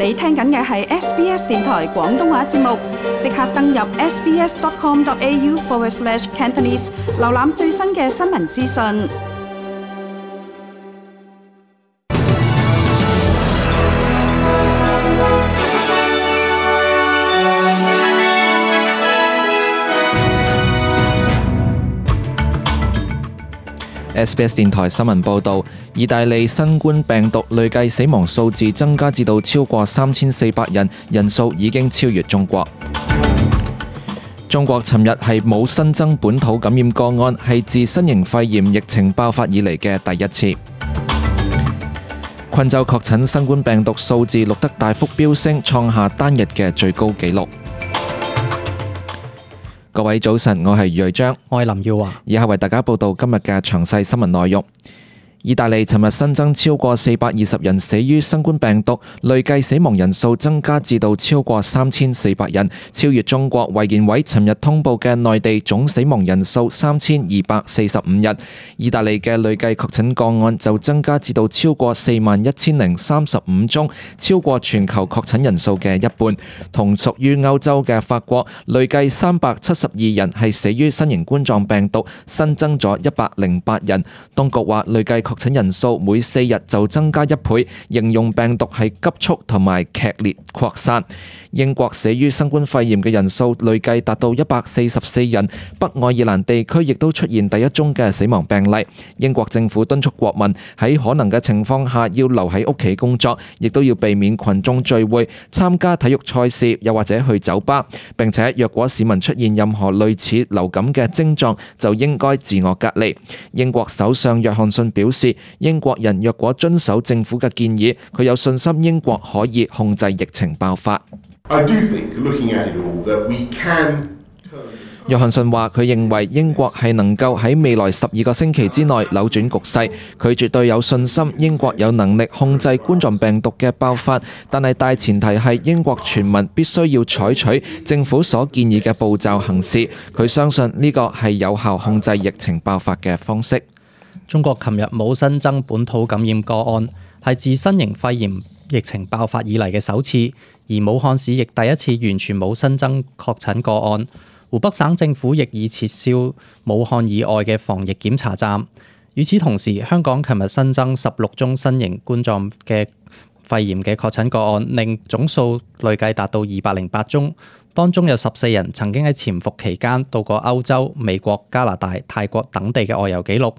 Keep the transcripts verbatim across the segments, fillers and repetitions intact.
你聽緊嘅係 S B S 電台廣東話節目，即刻登入 sbs.com.au forward slash Cantonese， 瀏覽最新嘅新聞資訊。S B S 電台新聞報導，意大利新冠病毒累計死亡數字增加至到超過三千四百人，人數已經超越中國。中國尋日係冇新增本土感染個案，係自新型肺炎疫情爆發以嚟嘅第一次。昆州確診新冠病毒數字錄得大幅飆升，創下單日嘅最高紀錄。各位早晨，我係余瑞章，我係林耀華，以下為大家報道今日嘅詳細新聞內容。意大利尋日新增超過四百二十人死於新冠病毒，累計死亡人數增加至到超過三千四百人，超越中國衛健委尋日通報嘅內地總死亡人數三千二百四十五人。意大利嘅累計確診個案就增加至到超過四萬一千零三十五宗，超過全球確診人數嘅一半。同屬於歐洲嘅法國，累計三百七十二人係死於新型冠狀病毒，新增咗一百零八人。當局話累計確診人數每四日就增加一倍，形容病毒係急速同埋劇烈擴散。英國死於新冠肺炎嘅人數累計達到一百四十四人，北愛爾蘭地區亦都出現第一宗嘅死亡病例。英國政府敦促國民喺可能嘅情況下要留喺屋企工作，亦都要避免群眾聚會、參加體育賽事，又或者去酒吧。並且若果市民出現任何類似流感嘅症狀，就應該自我隔離。英國首相約翰遜表示，英國人若果遵守政府嘅建議，佢有信心英國可以控制疫情爆發。I do think, looking at it all, that we can turn... 約翰遜話：佢認為英國係能夠喺未來十二個星期之內扭轉局勢，佢絕對有信心英國有能力控制冠狀病毒嘅爆發，但係大前提係英國全民必須要採取政府所建議嘅步驟行事。佢相信呢個係有效控制疫情爆發嘅方式。中國琴日冇新增本土感染個案，係自新型肺炎疫情爆發以嚟嘅首次，而武漢市亦第一次完全冇新增確診個案。湖北省政府亦已撤銷武漢以外嘅防疫檢查站。與此同時，香港琴日新增十六宗新型冠狀嘅肺炎嘅確診個案，令總數累計達到二百零八宗。當中有十四人曾經喺潛伏期間到過歐洲、美國、加拿大、泰國等地嘅外遊記錄。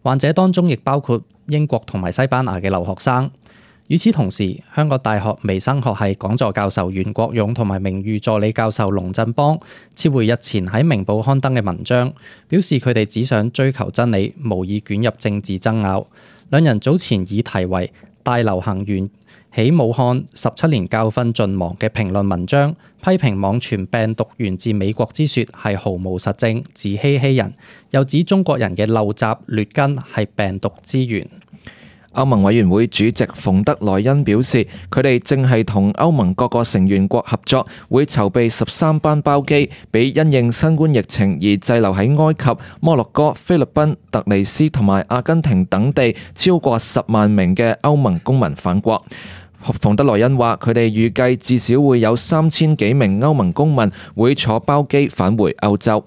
患者當中亦包括英國同埋西班牙嘅留學生。與此同時，香港大學微生學系講座教授袁國勇同埋名譽助理教授龍振邦撤回日前喺明報刊登嘅文章，表示佢哋只想追求真理，無意捲入政治爭拗。兩人早前以題為大流行源起武漢十七年教訓盡忘嘅評論文章，批評網傳病毒源自美國之說係毫無實證，自欺欺人，又指中國人嘅陋習劣根係病毒之源。歐盟委員會主席馮德萊恩表示，佢哋正係同歐盟各個成員國合作，會籌備十三班包機，俾因應新冠疫情而滯留喺埃及、摩洛哥、菲律賓、突尼斯同埋阿根廷等地超過十萬名嘅歐盟公民返國。馮德萊恩話：佢哋預計至少會有三千幾名歐盟公民會坐包機返回歐洲。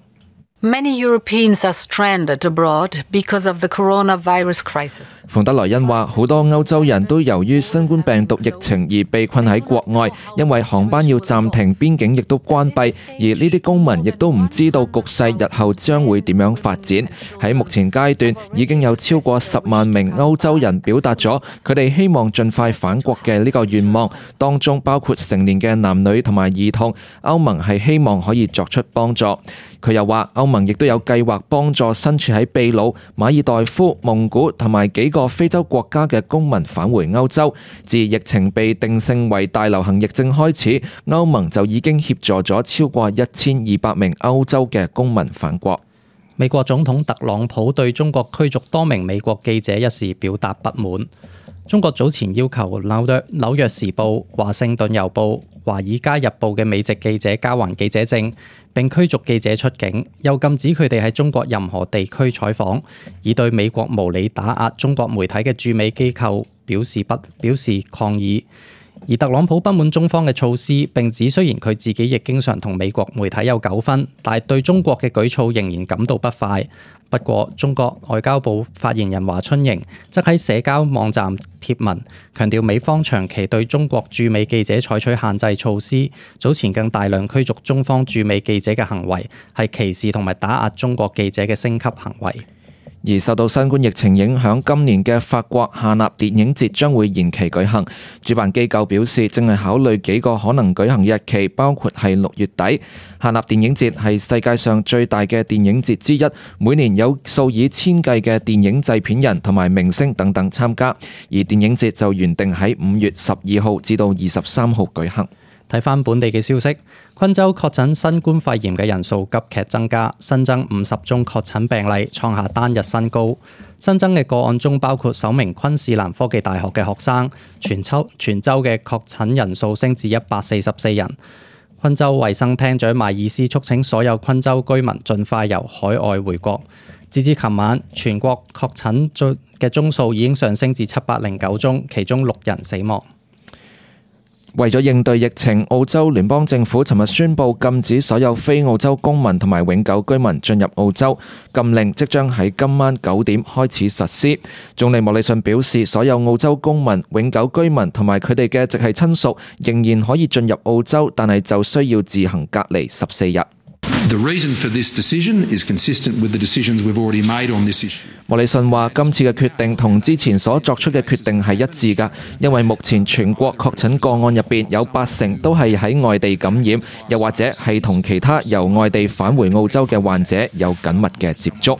Many Europeans are stranded abroad because of the coronavirus crisis. 馮德萊恩話：好多歐洲人都由於新冠病毒疫情而被困喺國外，因為航班要暫停，邊境亦都關閉，而呢啲公民亦都唔知道局勢日後將會點樣發展。喺目前階段，已經有超過十萬名歐洲人表達咗佢哋希望盡快返國嘅呢個願望，當中包括成年嘅男女同埋兒童。歐盟係希望可以作出幫助。佢又話，歐盟亦都有計劃幫助身處喺秘魯、馬爾代夫、蒙古同埋幾個非洲國家嘅公民返回歐洲。自疫情被定性為大流行疫症開始，歐盟就已經協助咗超過一千二百名歐洲嘅公民返國。美國總統特朗普對中國驅逐多名美國記者一事表達不滿。中國早前要求紐約紐約時報、華盛頓郵報、華爾街日報嘅美籍記者交還記者證，並驅逐記者出境，又禁止佢哋喺中國任何地區採訪，以對美國無理打壓中國媒體嘅駐美機構表示不表示抗議。而特朗普不滿中方嘅措施，並指雖然佢自己亦經常同美國媒體有糾紛，但係對中國嘅舉措仍然感到不快。不過，中國外交部發言人華春瑩則喺社交網站貼文，強調美方長期對中國駐美記者採取限制措施，早前更大量驅逐中方駐美記者嘅行為，係歧視同埋打壓中國記者嘅升級行為。而受到新冠疫情影響，今年嘅法國夏納電影節將會延期舉行。主辦機構表示，正係考慮幾個可能舉行日期，包括係六月底。夏納電影節係世界上最大嘅電影節之一，每年有數以千計嘅電影製片人同埋明星等等參加。而電影節就原定喺五月十二號至到二十三號舉行。睇返本地嘅消息，昆州確診新冠肺炎嘅人數急劇增加，新增五十宗確診病例，創下單日新高。新增嘅個案中包括首名昆士蘭科技大學嘅學生，全州全州嘅確診人數升至一百四十四人。昆州衛生廳長邁爾斯促請所有昆州居民盡快由海外回國。截至琴晚，全國確診嘅宗數已經上升至七百零九宗，其中六人死亡。為咗應對疫情，澳洲聯邦政府尋日宣布禁止所有非澳洲公民同埋永久居民進入澳洲，禁令即將喺今晚九點開始實施。總理莫里遜表示，所有澳洲公民、永久居民同埋佢哋嘅直系親屬仍然可以進入澳洲，但係就需要自行隔離十四日。The reason for this decision is consistent with the decisions we've already made on this issue. 莫里遜話：今次嘅決定同之前所作出嘅決定係一致㗎，因為目前全國確診個案入邊有八成都係喺外地感染，又或者係同其他由外地返回澳洲嘅患者有緊密嘅接觸。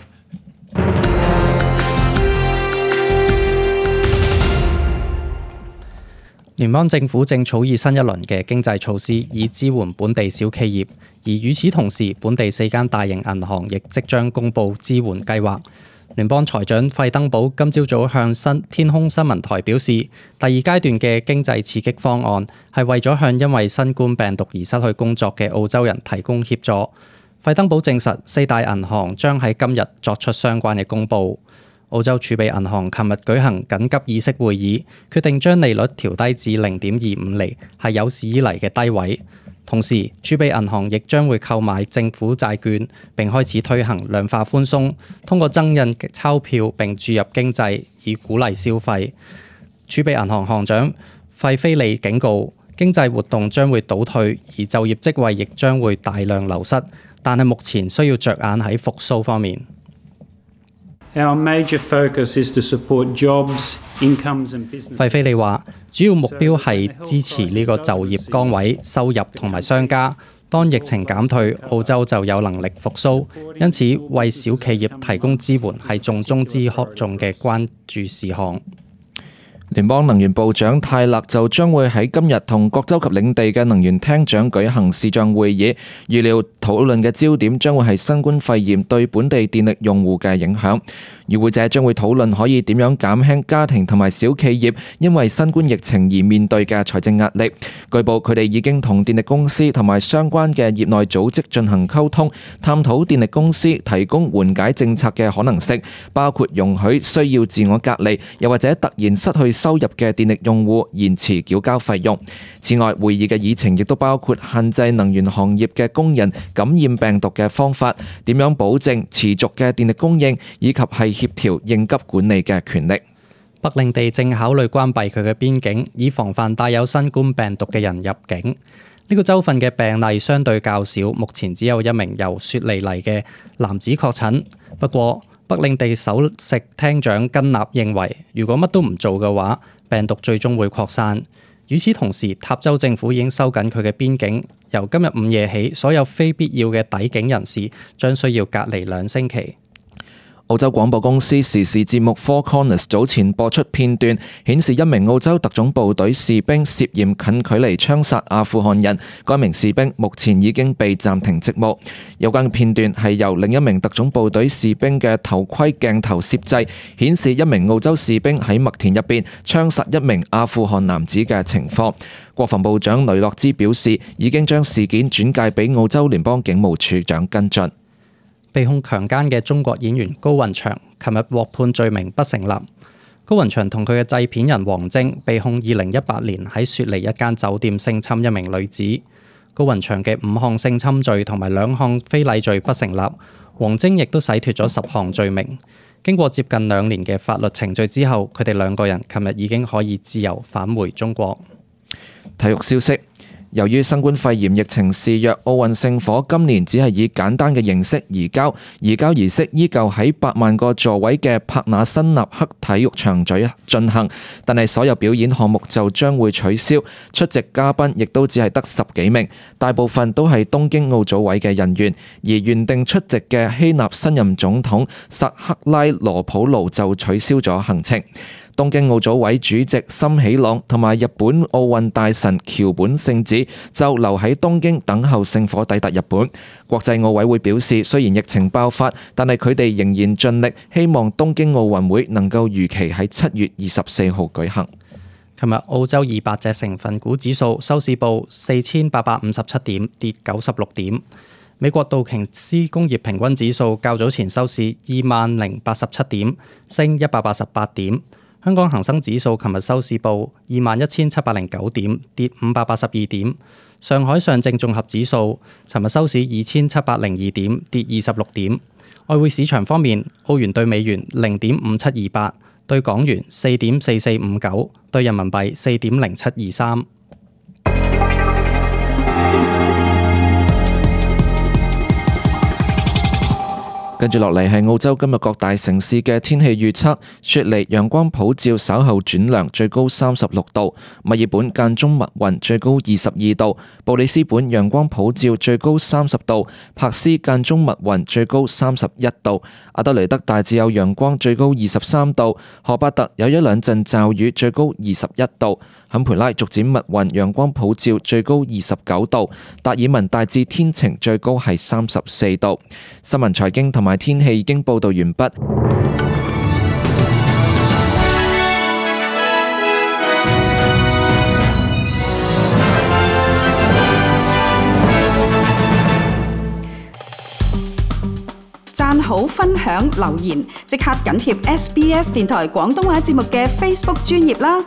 聯邦政府正草擬新一輪嘅經濟措施，以支援本地小企業。而與此同時，本地四間大型銀行亦即將公布支援計劃。聯邦財長費登堡今朝早向新天空新聞台表示，第二階段嘅經濟刺激方案係為咗向因為新冠病毒而失去工作嘅澳洲人提供協助。費登堡證實，四大銀行將喺今日作出相關嘅公佈。澳洲儲備銀行琴日舉行緊急議息會議，決定將利率調低至零點二五厘，係有史以嚟嘅低位。同時，儲備銀行亦將會購買政府債券，並開始推行量化寬鬆，通過增印鈔票並注入經濟，以鼓勵消費。儲備銀行行長費菲利警告，經濟活動將會倒退，而就業職位亦將會大量流失，但係目前需要着眼喺復甦方面。Our major focus is to support jobs, incomes and business. 費菲利話：主要目標係支持呢個就業崗位、收入同埋商家。當疫情減退，澳洲就有能力復甦。因此，為小企業提供支援係重中之重嘅關注事項。聯邦能源部長泰勒就將會喺今日同各州及領地嘅能源廳長舉行視像會議，預料討論嘅焦點將會係新冠肺炎對本地電力用戶嘅影響。與會者將會討論可以點樣減輕家庭同埋小企業因為新冠疫情而面對嘅財政壓力。據報佢哋已經同電力公司同埋相關嘅業內組織進行溝通，探討電力公司提供緩解政策嘅可能性，包括容許需要自我隔離，又或者突然失去收入嘅電力用戶延遲繳交費用。此外，會議嘅議程亦都包括限制能源行業嘅工人感染病毒嘅方法，點樣保證持續嘅電力供應，以及係協調應急管理嘅權力。北領地正考慮關閉佢嘅邊境，以防範帶有新冠病毒嘅人入境。呢個州份嘅病例相對較少，目前只有一名由雪梨嚟嘅男子確診。不過，北領地首席廳長根納認為，如果乜都唔做嘅話，病毒最終會擴散。與此同時，塔州政府已經收緊佢嘅邊境，由今日午夜起，所有非必要嘅抵境人士將需要隔離兩星期。澳洲廣播公司時事節目 Four Corners 早前播出片段，顯示一名澳洲特種部隊士兵涉嫌近距離槍殺阿富汗人，該名士兵目前已經被暫停職務。有關嘅片段係由另一名特種部隊士兵嘅頭盔鏡頭攝製，顯示一名澳洲士兵喺麥田入邊槍殺一名阿富汗男子嘅情況。國防部長雷諾茲表示，已經將事件轉介俾澳洲聯邦警務處長跟進。被控強姦嘅中國演員高雲翔，琴日獲判罪名不成立。高雲翔同佢嘅製片人王晶被控二零一八年喺雪梨一間酒店性侵一名女子。高雲翔嘅五項性侵罪同埋兩項非禮罪不成立，王晶亦都洗脫咗十項罪名。經過接近兩年嘅法律程序之後，佢哋兩個人琴日已經可以自由返回中國。體育消息。由於新冠肺炎疫情肆虐，奧運聖火今年只係以簡單嘅形式移交，移交儀式依舊喺八萬個座位嘅帕納辛納克體育場進行，但係所有表演項目就將會取消，出席嘉賓亦都只係得十幾名，大部分都係東京奧組委嘅人員，而原定出席嘅希臘新任總統薩克拉羅普盧就取消咗行程。東京奧組委主席森喜朗同埋日本奧運大臣橋本聖子就留喺東京等候聖火抵達日本。國際奧委會表示，雖然疫情爆發，但係佢哋仍然盡力，希望東京奧運會能夠如期喺七月二十四號舉行。琴日澳洲二百隻成分股指數收市報四千八百五十七點，跌九十六點。美國道瓊斯工業平均指數較早前收市二萬零八十七點，升一百八十八點。香港恒生指數琴日收市報二萬一千七百零九點，跌五百八十二點。上海上證綜合指數尋日收市二千七百零二點，跌二十六點。外匯市場方面，澳元對美元零點五七二八，對港元四點四四五九，對人民幣四點零七二三。跟住落嚟係澳洲今日各大城市嘅天氣預測：雪梨陽光普照，稍後轉涼，最高三十六度；墨爾本間中密雲，最高二十二度；布里斯本陽光普照，最高三十度；柏斯間中密雲，最高三十一度；阿德雷德大致有陽光，最高二十三度；荷巴特有一兩陣驟雨，最高二十一度；坎培拉逐漸密雲，陽光普照，最高二十九度；達爾文大致天晴，最高係三十四度。新聞財經同埋天氣已經報道完畢。讚好、分享、留言，即刻緊貼 S B S 電台廣東話節目嘅 Facebook 專頁啦！